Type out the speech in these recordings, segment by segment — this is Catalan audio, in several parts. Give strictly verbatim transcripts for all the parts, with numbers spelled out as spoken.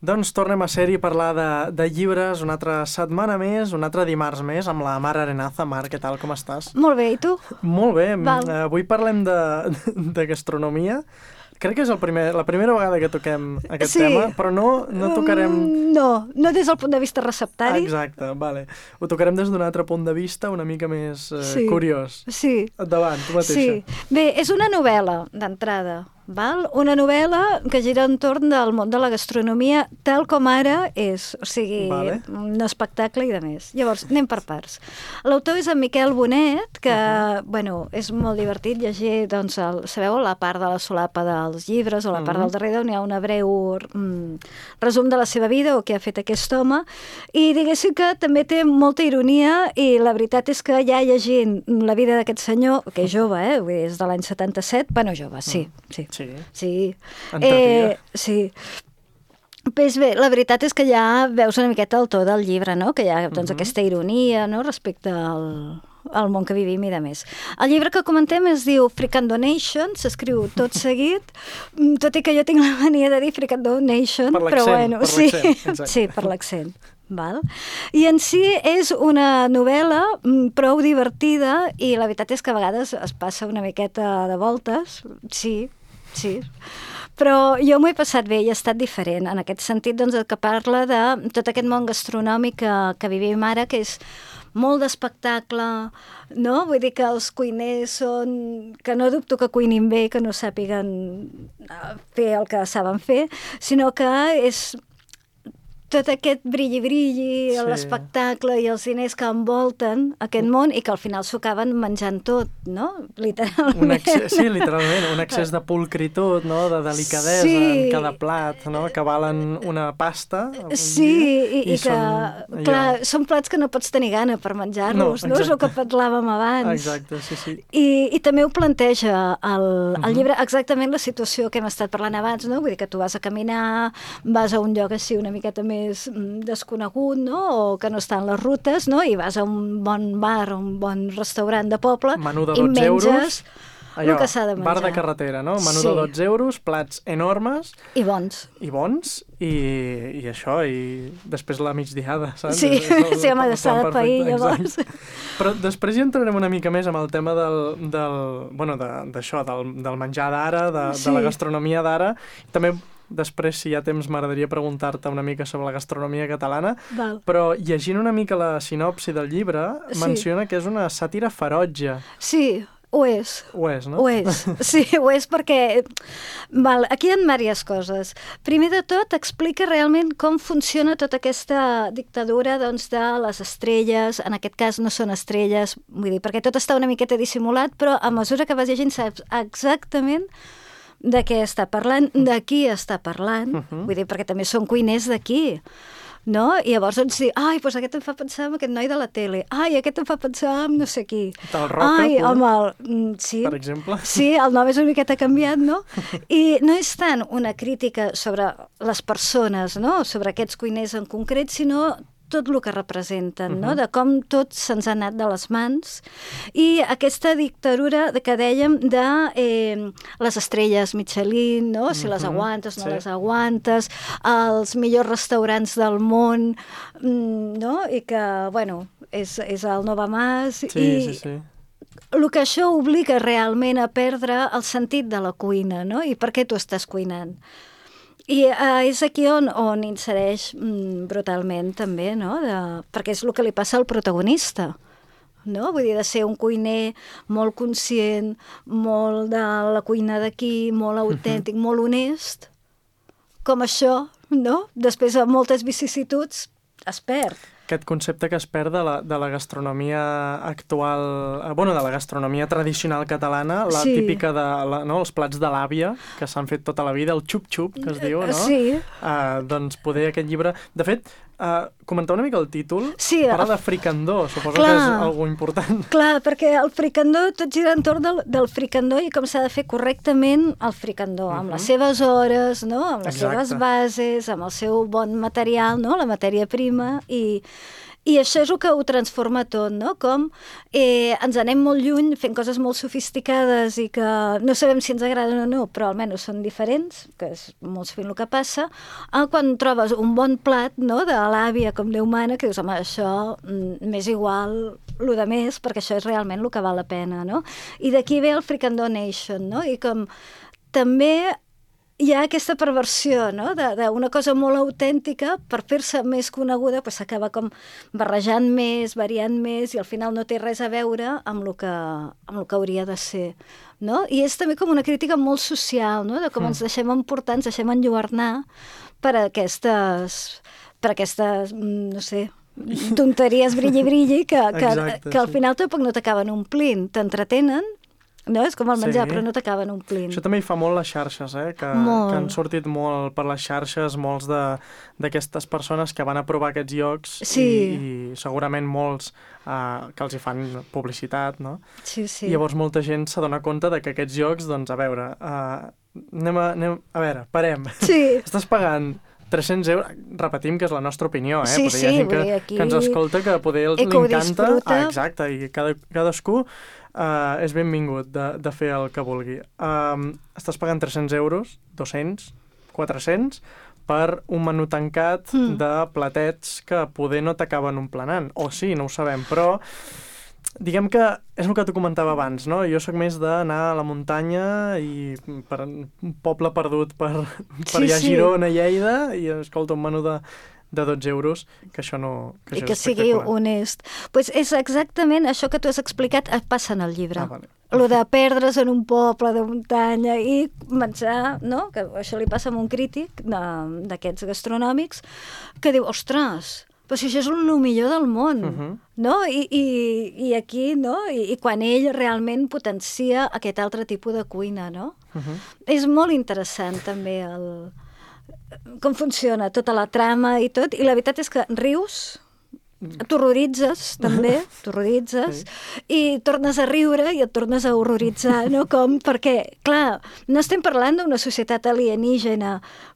Doncs tornem a ser-hi a parlar de, de llibres una altra setmana més, un altre dimarts més, amb la Mar Arenaza. Mar, què tal, com estàs? Molt bé, i tu? Molt bé. Val. Avui parlem de, de gastronomia. Crec que és el primer, la primera vegada que toquem aquest Sí. tema, però no, no tocarem... Mm, no, no des del punt de vista receptari. Exacte, vale. Ho tocarem des d'un altre punt de vista, una mica més eh, Sí. curiós. Sí. Endavant, tu mateixa. Sí. Bé, és una novel·la, d'entrada. Val? Una novel·la que gira entorn del món de la gastronomia tal com ara és, o sigui, Vale. un espectacle i de més. Llavors, anem per parts. L'autor és en Miquel Bonet, que, uh -huh. bueno, és molt divertit llegir, doncs, el, sabeu, la part de la solapa dels llibres o la part Uh-huh. del darrere, on hi ha una breu mm, resum de la seva vida o què ha fet aquest home, i diguéssim que també té molta ironia, i la veritat és que ja llegint la vida d'aquest senyor, que és jove, eh? Vull dir, és de l'any setanta-set, bueno, jove, sí, sí. Sí. Sí. Entretinga. sí. Pues bé, la veritat és que ja veus una miqueta el to del llibre, no? Que hi ha doncs, Mhm. aquesta ironia, no?, respecte al, al món que vivim i de més. El llibre que comentem es diu Fricandonation, s'escriu tot seguit, mm, tot i que jo tinc la mania de dir Fricandonation, Per però l'accent, bueno, per sí, l'accent, exacte. sí, per l'accent. Val? I en si és una novel·la mm, prou divertida, i la veritat és que a vegades es passa una miqueta de voltes, sí, sí, però jo m'ho he passat bé i ha estat diferent, en aquest sentit, doncs, que parla de tot aquest món gastronòmic que, que vivim ara, que és molt d'espectacle, no? Vull dir que els cuiners són... que no dubto que cuinin bé, que no sàpiguen eh, fer el que saben fer, sinó que és tot aquest brilli-brilli, Sí. l'espectacle i els diners que envolten aquest món i que al final s'ho acaben menjant tot, no? Literalment. Un excés, sí, literalment, un excés de pulcritud, no? De delicadesa Sí. en cada plat, no? Que valen una pasta. avui Sí, dia, i, i, que, són clar, són plats que no pots tenir gana per menjar-los, No, no? És el exacte. que parlàvem abans. Exacte, sí, sí. I, I també ho planteja el, el Mhm. llibre exactament la situació que hem estat parlant abans, no? Vull dir que tu vas a caminar, vas a un lloc així una miqueta més mm, desconegut, no? O que no estan les rutes, no? I vas a un bon bar, un bon restaurant de poble Menú de i dotze euros. menges Allò, el que s'ha de menjar. bar de carretera, no? Menú Sí. de dotze euros, plats enormes I bons. i bons, i, i això, i després la migdiada, saps? Sí, És el- sí, home, el s'ha plan de pair, perfecte, llavors. exacte. Però després hi entrarem una mica més amb el tema del, del bueno, de- d'això, del, del menjar d'ara, de, Sí. de la gastronomia d'ara. També després, si hi ha temps, m'agradaria preguntar-te una mica sobre la gastronomia catalana, Val. però llegint una mica la sinopsi del llibre, Sí. menciona que és una sàtira ferotge. Sí, ho és. Ho és, no? Ho és, sí, ho és perquè val, aquí hi ha diverses coses. Primer de tot, explica realment com funciona tota aquesta dictadura, doncs, de les estrelles. En aquest cas no són estrelles, vull dir, perquè tot està una miqueta dissimulat, però a mesura que vas llegint saps exactament de què està parlant, de qui està parlant, Mhm. vull dir, perquè també són cuiners d'aquí, no? I llavors doncs dir, ai, doncs aquest em fa pensar en aquest noi de la tele, ai, aquest em fa pensar en no sé qui. Del Roca, ai, tu, home, el, mm, sí. per exemple. Sí, el nom és una miqueta canviat, no? I no és tant una crítica sobre les persones, no? Sobre aquests cuiners en concret, sinó tot el que representen, no? Mhm. De com tot se'ns ha anat de les mans. I aquesta dictadura de que dèiem de eh, les estrelles Michelin, no? Si les Mhm, aguantes, no sí. les aguantes, els millors restaurants del món, mm, no? I que, bueno, és, és el Nova Mas. Sí, i, sí, sí. el que això obliga realment a perdre el sentit de la cuina, no? I per què tu estàs cuinant? I uh, és aquí on, on insereix mm, brutalment també, no? De, perquè és el que li passa al protagonista, no? Vull dir, de ser un cuiner molt conscient, molt de la cuina d'aquí, molt autèntic, uh-huh. molt honest, com això, no? Després de moltes vicissituds es perd. Aquest concepte que es perd de la, de la gastronomia actual, eh, bueno, de la gastronomia tradicional catalana, la Sí. típica de la, no, els plats de l'àvia, que s'han fet tota la vida, el xup-xup, que es diu, no? Sí. Uh, doncs poder aquest llibre... De fet, Uh, comentar una mica el títol. Sí, Parla el... de fricandó, suposo Clar. que és algo important. Clar, perquè el fricandó tot gira entorn del, del fricandó i com s'ha de fer correctament el fricandó, uh-huh. amb les seves hores, no? Amb les Exacte. seves bases, amb el seu bon material, no? La matèria prima, i... I això és el que ho transforma tot, no? Com eh, ens anem molt lluny fent coses molt sofisticades i que no sabem si ens agraden o no, però almenys són diferents, que és molt sovint el que passa, eh, quan trobes un bon plat, no?, de l'àvia com Déu mana, que dius, home, això mm, m'és igual el de més, perquè això és realment el que val la pena, no? I d'aquí ve el Fricandó Nation, no? I com també hi ha aquesta perversió, no?, d'una cosa molt autèntica, per fer-se més coneguda, pues, s'acaba com barrejant més, variant més, i al final no té res a veure amb el que, amb el que hauria de ser, no? I és també com una crítica molt social, no?, de com mm. ens deixem emportar, ens deixem enlluernar per aquestes, per aquestes, no sé, tonteries brilli-brilli que, que, Exacte, que al final tampoc no t'acaben omplint, t'entretenen, no? És com el menjar, sí. però no t'acaben omplint. Això també hi fa molt les xarxes, eh? que, que han sortit molt per les xarxes, molts d'aquestes persones que van a provar aquests llocs sí. i, i segurament molts uh, que els hi fan publicitat, no? Sí, sí. I llavors molta gent s'adona compte de que aquests llocs, doncs, a veure, uh, anem a, anem, a veure, parem. Sí. Estàs pagant tres-cents euros, repetim que és la nostra opinió, eh? Sí, poder sí, hi ha gent que, aquí... que ens escolta, que poder els encanta. Ah, exacte, i cada, cadascú uh, és benvingut de, de fer el que vulgui. Um, estàs pagant tres-cents euros, dos-cents, quatre-cents, per un menú tancat mm. de platets que poder no t'acaben emplenant. O sí, no ho sabem, però diguem que és el que t'ho comentava abans, no? Jo sóc més d'anar a la muntanya i per un poble perdut per, per sí, allà a sí. Girona, Lleida, i escolta un menú de, de dotze euros, que això no... Que I això que sigui honest. Pues és exactament això que tu has explicat, passa en el llibre. Ah, vale. Lo de perdre's en un poble de muntanya i menjar, no? Que això li passa a un crític d'aquests gastronòmics, que diu, ostres, però si això és el millor del món, uh-huh. no? I, i, i aquí, no? I, I quan ell realment potencia aquest altre tipus de cuina, no? Uh-huh. És molt interessant també el... com funciona tota la trama i tot, i la veritat és que rius, t'horroritzes també, t'horroritzes, sí. i tornes a riure i et tornes a horroritzar, no? Com, perquè, clar, no estem parlant d'una societat alienígena,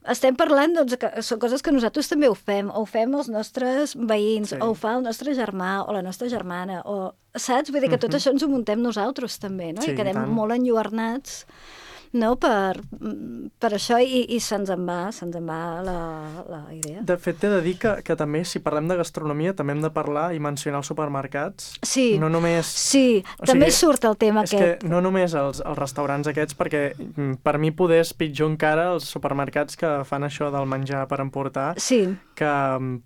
estem parlant, doncs, que són coses que nosaltres també ho fem, o ho fem els nostres veïns, sí. o ho fa el nostre germà o la nostra germana, o, saps? Vull dir que tot uh-huh. això ens ho muntem nosaltres també, no? Sí, I quedem molt enlluernats, no? Per, per això, i, i se'ns en va, se'ns en va la, la idea. De fet, t'he de dir que, que també, si parlem de gastronomia, també hem de parlar i mencionar els supermercats. Sí, no només... sí, o també sigui, surt el tema és aquest. És que no només els, els restaurants aquests, perquè per mi poder és pitjor encara els supermercats que fan això del menjar per emportar, sí. que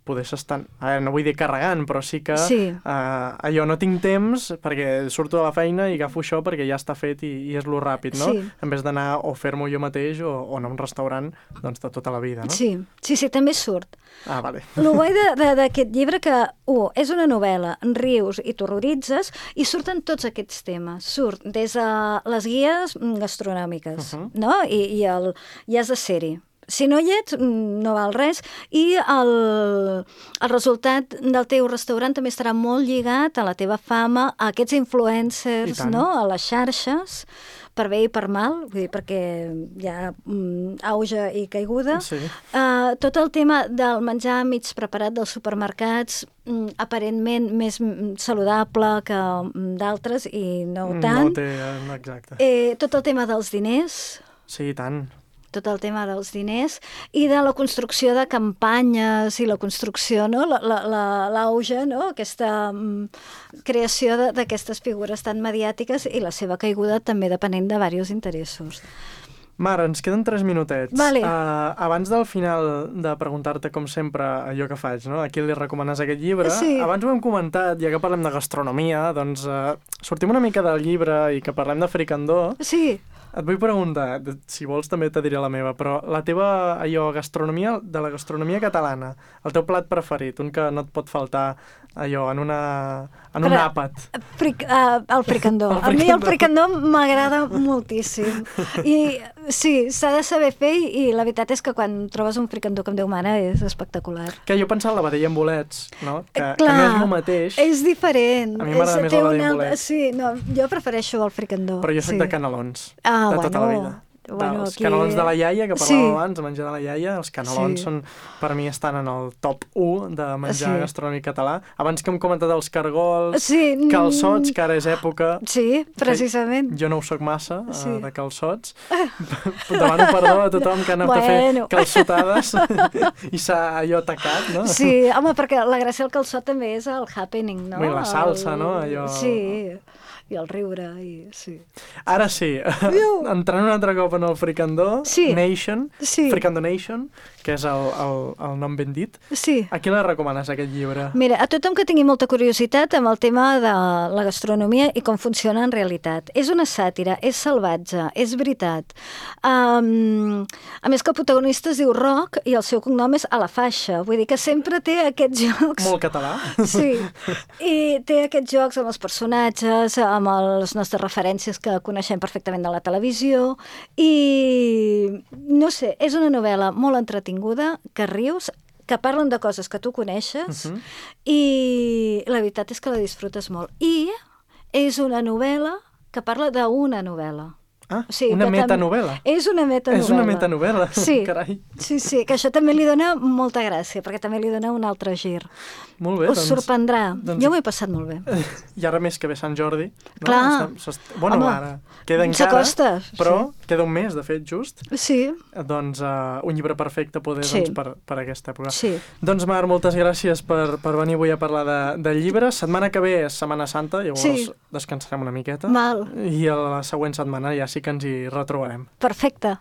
poder s'estan... A veure, no vull dir carregant, però sí que sí. Uh, allò no tinc temps perquè surto de la feina i agafo això perquè ja està fet i, i és lo ràpid, no? Sí. En vez d'anar o fer-m'ho jo mateix o, o anar a un restaurant doncs, de tota la vida, no? Sí, sí, sí, també surt. Ah, vale. El guai d'aquest llibre que, un, és una novel·la, rius i t'horroritzes, i surten tots aquests temes. Surt des de les guies gastronòmiques, uh-huh. no? I, i, el, i has de ser-hi. Si no hi ets, no val res, i el, el resultat del teu restaurant també estarà molt lligat a la teva fama, a aquests influencers, no? A les xarxes, per bé i per mal, vull dir, perquè hi ha um, auge i caiguda. Sí. Uh, tot el tema del menjar mig preparat dels supermercats, um, aparentment més saludable que um, d'altres, i no tant. No té, exacte. Eh, tot el tema dels diners. Sí, tant. Tot el tema dels diners i de la construcció de campanyes i la construcció, no? L'auge, no? Aquesta um, creació d'aquestes figures tan mediàtiques i la seva caiguda també depenent de diversos interessos. Mar, ens queden tres minutets. Vale. Uh, abans del final de preguntar-te, com sempre, allò que faig, no? A qui li recomanes aquest llibre? Sí. Abans ho hem comentat, ja que parlem de gastronomia, doncs uh, sortim una mica del llibre i que parlem de fricandó. Sí. Et vull preguntar, si vols també te diré la meva, però la teva, allò, gastronomia, de la gastronomia catalana, el teu plat preferit, un que no et pot faltar, allò, en una en un àpat. Fric, uh, el fricandó. El fricandó. A mi el fricandó m'agrada moltíssim. I sí, s'ha de saber fer i la veritat és que quan trobes un fricandó com Déu mana és espectacular. Que jo pensava en la vedella amb bolets, no? Que, Clar, que no és el mateix. És diferent. A mi m'agrada més la vedella amb bolets. Sí, no, jo prefereixo el fricandó. Però jo soc sí. de canelons, ah, de bueno. tota la vida. Bueno, els aquí... canelons de la iaia, que parlàvem sí. abans, de menjar de la iaia, els canelons sí. són, per mi estan en el top u de menjar sí. gastronòmic català. Abans que hem comentat els cargols, sí. calçots, que ara és època... Sí, precisament. Jo no ho soc massa, sí. uh, de calçots. Demano perdó a tothom que ha anat bueno. a fer calçotades i s'ha allò tacat, no? Sí, home, perquè la gràcia del calçot també és el happening, no? I la salsa, el... no? Allò... Sí, i el riure, i sí. Ara sí, entrant un altre cop en el Fricandó sí. Nation, sí. Fricandó Nation, que és el, el, el nom ben dit. Sí. A qui la recomanes, aquest llibre? Mira, a tothom que tingui molta curiositat amb el tema de la gastronomia i com funciona en realitat. És una sàtira, és salvatge, és veritat. Um, a més que el protagonista es diu Roc i el seu cognom és A la Faixa, vull dir que sempre té aquests jocs... Molt català. Sí, i té aquests jocs amb els personatges, amb les nostres referències que coneixem perfectament de la televisió i, no sé, és una novel·la molt entretinguda, que rius, que parlen de coses que tu coneixes uh-huh. i la veritat és que la disfrutes molt. I és una novel·la que parla d'una novel·la. Ah, o sigui, una metanovel·la. És una metanovel·la. És una metanovel·la, sí. carai. Sí, sí, que això també li dona molta gràcia, perquè també li dona un altre gir. Molt bé, Us doncs... sorprendrà. Doncs... Jo m'ho he passat molt bé. I ara més que ve Sant Jordi. No? Clar. Estem... Bueno, home, ara queda encara, s'acosta. però sí. queda un mes, de fet, just. Sí. Doncs uh, un llibre perfecte poder, sí. doncs, per, per aquesta època. Sí. Doncs, Mar, moltes gràcies per, per venir avui a parlar de, de llibres. Setmana que ve és Setmana Santa, llavors sí. descansarem una miqueta. Mal. I a la següent setmana ja sí que ens hi retrobarem. Perfecte.